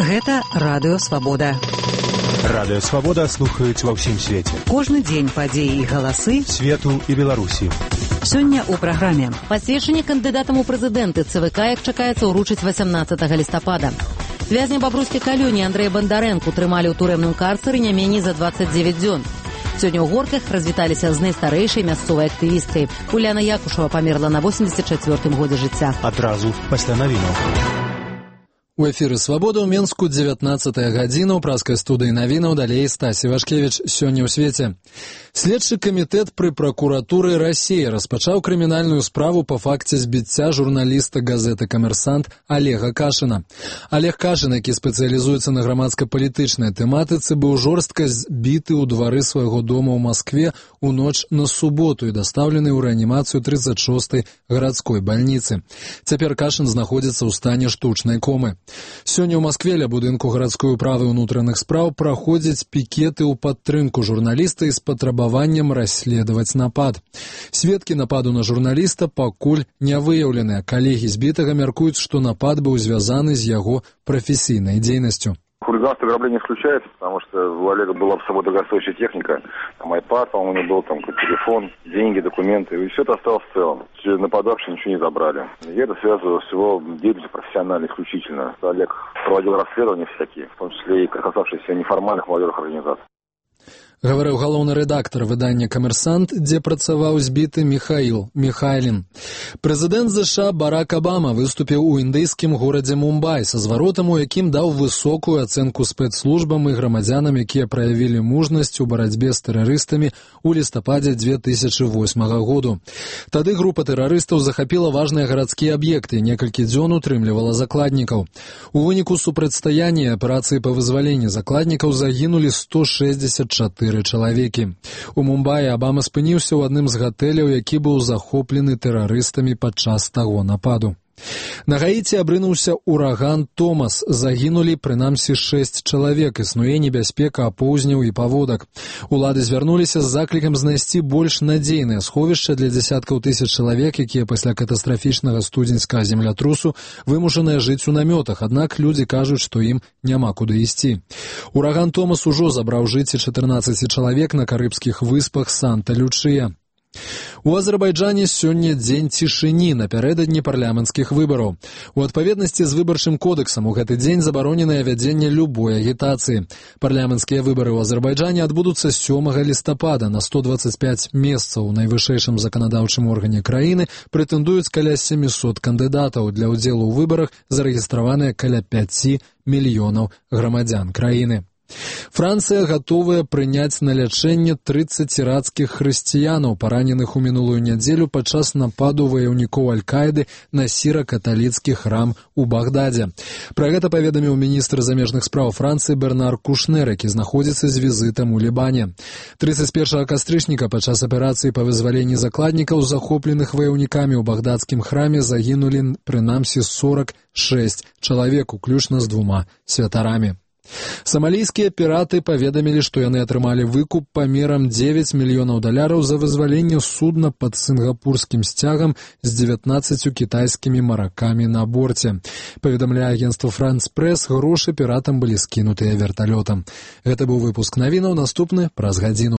Гэта Радыё Свабода. Радыё Свабода слухаюць ва ўсім свеце. Кожны дзень падзеі і галасы свету і Беларусі. Сёння ў праграме. Пасведчанне кандыдатам у прэзідэнты ЦВК, як чакаецца, ўручыць 18 лістапада. Вязня бабруйскай калоніі Андрэя Бандарэнку трымалі ў турэмным карцары не меней за 29 дзён. Сёння ў Горках развіталіся з найстарэйшай мясцовай актывісткай. Уляна Якушева памерла на 84-м годзе жыцця. Адразу пасля навінаў. У эфіры «Свабода» ў Менску 19-я гадзіна. У праскай студыі навінаў далей Стасі Вашкевіч. Сёння ў свеце. Следчы камітэт пры пракуратуры Расіі распачаў крымінальную справу па факце збіцця журналіста газеты «Камерсант» Олега Кашына. Олег Кашын, які спецыялізуецца на грамадска-палітычнай тэматыцы, быў жорстка збіты ў двары свайго дома ў Маскве у ноч на суботу і дастаўлены ў рэанімацыю 36-й гарадской бальніцы. Цяпер Кашын знаходзіцца ў стане штучнай комы. Сёння ў Маскве ля будынку гарадской управы ўнутраных спраў праходзяць пікеты ў падтрымку журналіста і з патрабаваннем расследаваць напад. Сведкі нападу на журналіста пакуль не выяўленыя. Калегі збітага мяркуюць, што напад быў звязаны з яго прафесійнай дзейнасцю. Хулиганство ограбление исключается, потому что у Олега была с собой дорогостоящая техника, там iPad, по-моему, у него был там телефон, деньги, документы, и все это осталось в целом. Нападавшие ничего не забрали. И это связано с его деятельностью профессионально, исключительно. Олег проводил расследования всякие, в том числе и касавшиеся неформальных молодежных организаций. Гаварыў галоўны рэдактар выдання «Камерсант», дзе працаваў збіты Міхаіл Міхайлін. Прэзідэнт ЗША Барак Абама выступіў у індыйскім горадзе Мумбай са зваротам, у якім даў высокую ацэнку спецслужбам і грамадзянам, якія праявілі мужнасць у барацьбе з тэрарыстамі ў лістападзе 2008 году. Тады група тэрарыстаў захапіла важныя гарадскія аб'екты і некалькі дзён утрымлівала закладнікаў. У выніку супрацьстаяння аперацыі па вызваленні закладнікаў загінулі 164 чалавекі. У Мумбаі Абама спыніўся ў адным з гатэляў, які быў захоплены тэрарыстамі падчас таго нападу. На Гаіці абрынуўся ураган Томас. Загінулі прынамсі 6 чалавек. Існуе небяспека апоўзняў і паводак. Улады звярнуліся з заклікам знайсці больш надзейнае сховішча для дзясяткаў тысяч чалавек, якія пасля катастрафічнага студзеньскага землятрусу вымушаныя жыць у намётах, аднак людзі кажуць, што ім няма куды ісці. Ураган Томас ужо забраў жыцці 14 чалавек на карыбскіх выспах Санта-Лючыя. У Азербайджане сёння дзень цішыні напярэдадні парламенцкіх выбараў. У адпаведнасці з выбарчым кодэксам у гэты дзень забароненае вядзенне любой агітацыі. Парламенцкія выбары ў Азербайджане адбудуцца 7 лістапада. На 125 месцаў у найвышэйшым заканадаўчым органе краіны прэтэндуюць каля 700 кандыдатаў. Для ўдзелу ў выбарах зарэгістраваныя каля 5 мільёнаў грамадзян краіны. Францыя гатовая прыняць на лячэнне 30 іракскіх хрысціянаў, параненых у мінулую нядзелю падчас нападу ваяўнікоў Аль-Каіды на сіра-каталіцкі храм у Багдадзе. Пра гэта паведаміў міністр замежных спраў Францыі Бернар Кушнер, які знаходзіцца з візітам у Лібане. 31 кастрычніка падчас аперацыі па вызваленні закладнікаў, захопленых ваяўнікамі ў багдадскім храме, загінулі прынамсі 46 чалавек, уключна з 2 святарамі. Самалійскія піраты паведамілі, што яны атрымалі выкуп памерам $9 мільёнаў за вызваленне судна пад сінгапурскім сцягам з 19 кітайскімі маракамі на борце. Паведамляе агенцтва France Press, грошы піратам былі скінутыя верталётам. Гэта быў выпуск навінаў, наступны праз гадзіну.